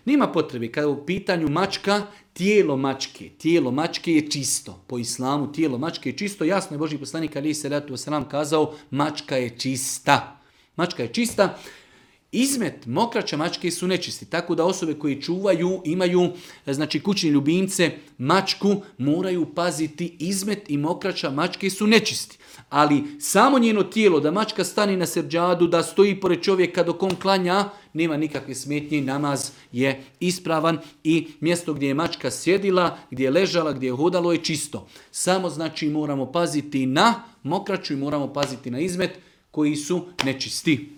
Nema potrebe, kada je u pitanju mačka, tijelo mačke je čisto. Po islamu tijelo mačke je čisto. Jasno je Božji poslanik alejhi selatu vesselam kazao, mačka je čista. Mačka je čista. Izmet mokraća mačke su nečisti, tako da osobe koje čuvaju, imaju kućni ljubimce, mačku, moraju paziti, izmet i mokraća mačke su nečisti. Ali samo njeno tijelo, da mačka stani na seđadu, da stoji pored čovjeka dok on klanja, nema nikakve smetnje, namaz je ispravan i mjesto gdje je mačka sjedila, gdje je ležala, gdje je hodalo je čisto. Samo moramo paziti na mokraću i moramo paziti na izmet koji su nečisti.